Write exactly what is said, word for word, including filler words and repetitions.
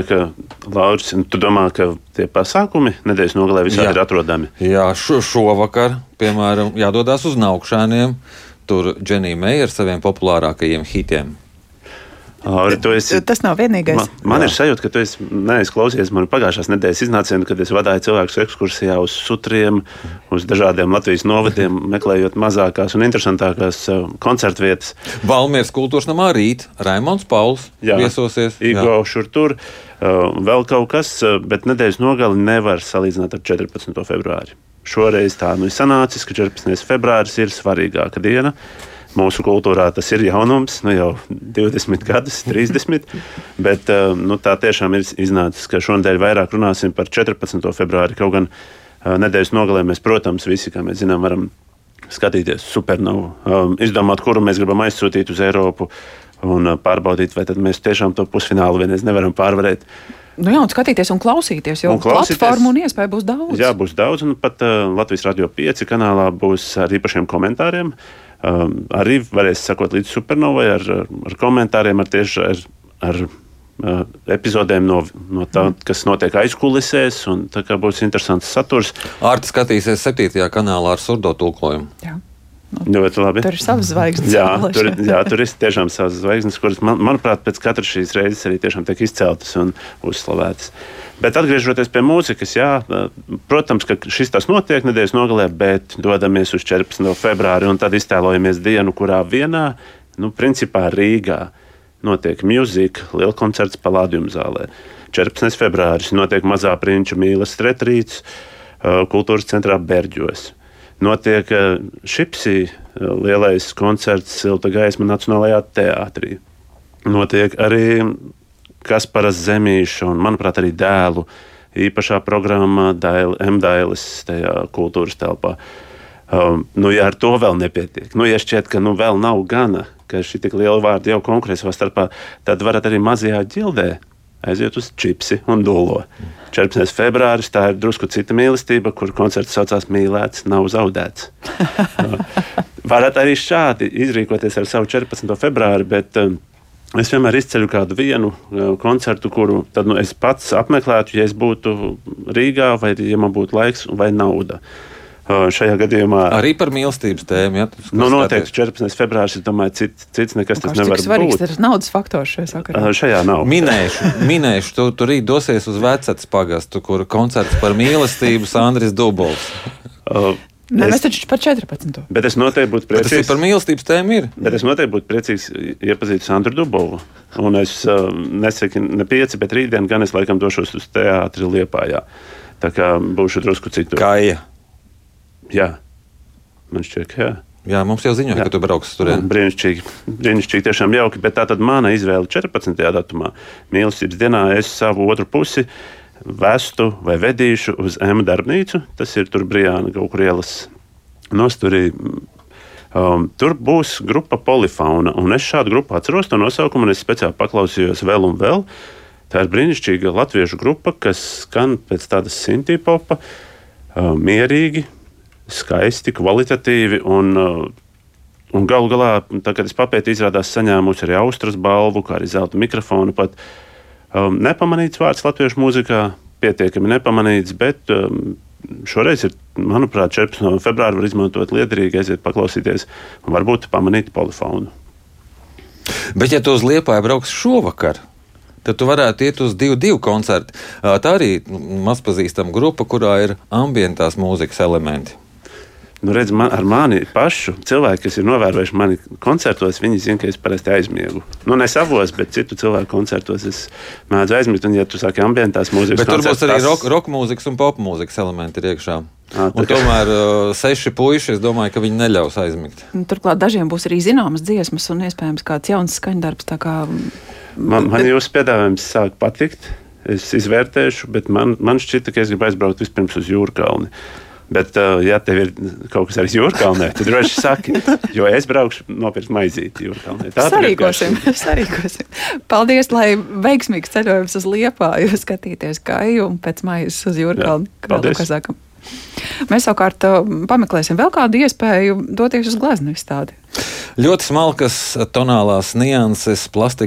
Ka, Lauris, tu domā, ka tie pasākumi nedēļas nogalē visādi ir atrodami? Jā, šo, šovakar, piemēram, jādodas uz Naukšēniem. Tur Dženija Meija ar saviem populārākajiem hitiem. Lauri, esi, tas nav vienīgais. Man, man ir sajūta, ka tu esi neizklausies manu pagājušās nedēļas iznācienu, kad es vadīju cilvēkus ekskursijā uz sutriem, uz dažādiem Latvijas novadiem, meklējot mazākās un interesantākās koncertu vietas. Valmieras kultūras namā rīt Raimonds Pauls jā, viesosies. Igo šur tur, vēl kaut kas, bet nedēļas nogali nevar salīdzināt ar četrpadsmito februāri. Šoreiz tā nu ir sanācis, ka četrpadsmitais februāris ir svarīgāka diena. Mūsu kultūrā tas ir jaunums, nu jau divdesmit gadus, trīsdesmit, bet nu, tā tiešām ir iznācis, ka šonadēļ vairāk runāsim par četrpadsmito februāri, kaut gan nedēļas nogalē mēs, protams, visi, kā mēs zinām, varam skatīties supernovu, izdomāt, kuru mēs gribam aizsūtīt uz Eiropu un pārbaudīt, vai tad mēs tiešām to pusfinālu vienreiz nevaram pārvarēt. Nu jā, un skatīties un klausīties, jo un klausīties, platformu un iespēju būs daudz. Jā, būs daudz, un pat uh, Latvijas Radio pieci kanālā būs ar īpašiem komentāriem. Um, arī varēs sakot līdz supernovai ar, ar komentāriem, ar tieši ar, ar uh, epizodēm no, no tā, mm. kas notiek aizkulisēs, un tā kā būs interesants saturs. Ārti skatīsies septītajā kanālā ar surdo tulkojumu. Jā. Nu, labi. Tur ir savas zvaigznes. Jā, tur, jā, tur ir tiešām savas zvaigznes, kuras, man, manuprāt, pēc katras šīs reizes arī tiešām tiek izceltas un uzslavētas. Bet atgriežoties pie mūzikas, jā, protams, ka šis tas notiek nedēļas nogalē, bet dodamies uz četrpadsmito februāri un tad iztēlojamies dienu, kurā vienā, nu, principā Rīgā notiek mūzika, lielkoncerts Palādium zālē. četrpadsmitais februāris notiek Mazā prinča mīlas retrīts kultūras centrā Berģos. Notiek Šipsī lielais koncerts Silta gaisma Nacionālajā teātrī. Notiek arī Kasparas Zemīša un, manuprāt, arī dēlu īpašā programma M-Dailes tajā kultūras telpā. Um, nu, ja ar to vēl nepietiek, nu, ja šķiet, ka nu, vēl nav gana, ka šī tik liela vārda jau konkurē savā starpā, tad varat arī mazajā ģildē aiziet uz Čipsi un Dolo. četrpadsmitais februāris, tā ir drusku cita mīlestība, kur koncerts saucās Mīlēts, nav zaudēts. Varat arī šādi izrīkoties ar savu četrpadsmito februāri, bet um, es vienmēr izceļu kādu vienu uh, koncertu, kuru tad, nu, es pats apmeklētu, ja es būtu Rīgā, vai ja man būtu laiks vai nauda. Uh, šajā gadījumā arī par mīlestības tēmu. Ja? Nu, noteikti četrpadsmitais februāris, es domāju, cits, cits nekas tas nevar būt. Cik svarīgs ir naudas faktors šajā sakarā? Uh, šajā nav. Minēšu, minēšu tu, tu rīt dosies uz Vecats pagastu, kur koncerts par mīlestību Sandris Dubovs. Uh, Nē, es, mēs taču par četrpadsmito. Bet es noteikti būtu priecīgs. Bet tas ir par mīlestības tēmu ir. Bet es noteikti būtu priecīgs iepazīt Sandru Dubovu. Un es uh, nesaku ne pieci, bet rītdien gan es laikam došos uz teātri Liepājā. Tā kā būšu drusku citur. Kāja. Jā. Man šķiet, ka jā. Jā, mums jau ziņoja, ka tu brauks turien. Brīnišķīgi, brīnišķīgi, tiešām jauki, bet tā tad mana izvēle četrpadsmitajā datumā, mīlestības dienā, es savu otru pusi vestu vai vedīšu uz M darbnīcu, tas ir tur Brijāna kaut kur ielas nosturī. Um, tur būs grupa Polifauna, un es šādu grupu atceros to nosaukumu, un es speciāli paklausījos vēl un vēl. Tā ir brīnišķīga latviešu grupa, kas skan pēc tādas sintīpopa, um, mierīgi, skaisti, kvalitatīvi un, un galu galā, tā, kad es papētīju, izrādās saņēmusi arī Austras balvu, kā arī zelta mikrofonu. Pat um, nepamanīts vārds latviešu mūzikā, pietiekami nepamanīts, bet um, šoreiz ir, manuprāt, četrpadsmitā februāri var izmantot liederīgi, aiziet paklausīties un varbūt pamanīt Polifaunu. Bet ja tu uz Liepāju brauks šovakar, tad tu varētu iet uz divu divu koncertu. Tā arī mazpazīstama grupa, kurā ir ambientās mūzikas elementi. Nu, redz, man, ar mani pašu cilvēki, kas ir novērojuši mani koncertos, viņi zina, ka es parasti aizmiegu. Nu, ne savos, bet citu cilvēku koncertos es mēdzu aizmigt. Un, ja tu saki ambientās mūzikas bet koncerts... Bet tur būs arī tas... rock, rock mūzikas un pop mūzikas elementi ir iekšā. À, un tomēr uh, seši puiši, es domāju, ka viņi neļaus aizmigt. Turklāt dažiem būs arī zināmas dziesmas un iespējams kāds jauns skaņdarbs. Tā kā... Man, man jūsu piedāvājums sāk patikt. Es izvērtēšu, bet man, man šķita, ka es gribu aizbraukt vispirms uz Jūrkalni. Bet, uh, ja tev ir kaut kas arī Jūrkalnē, tad droši saki, jo es braukšu nopirkt maizīti Jūrkalnē. Sarīkosim, sarīkosim. Paldies, lai veiksmīgs ceļojums uz Liepāju, skatīties Kaju un pēc maizes uz Jūrkalni. Paldies. Mēs savukārt pameklēsim vēl kādu iespēju doties uz gleznu izstādi. Ļoti smalkas tonālās nianses, plastiku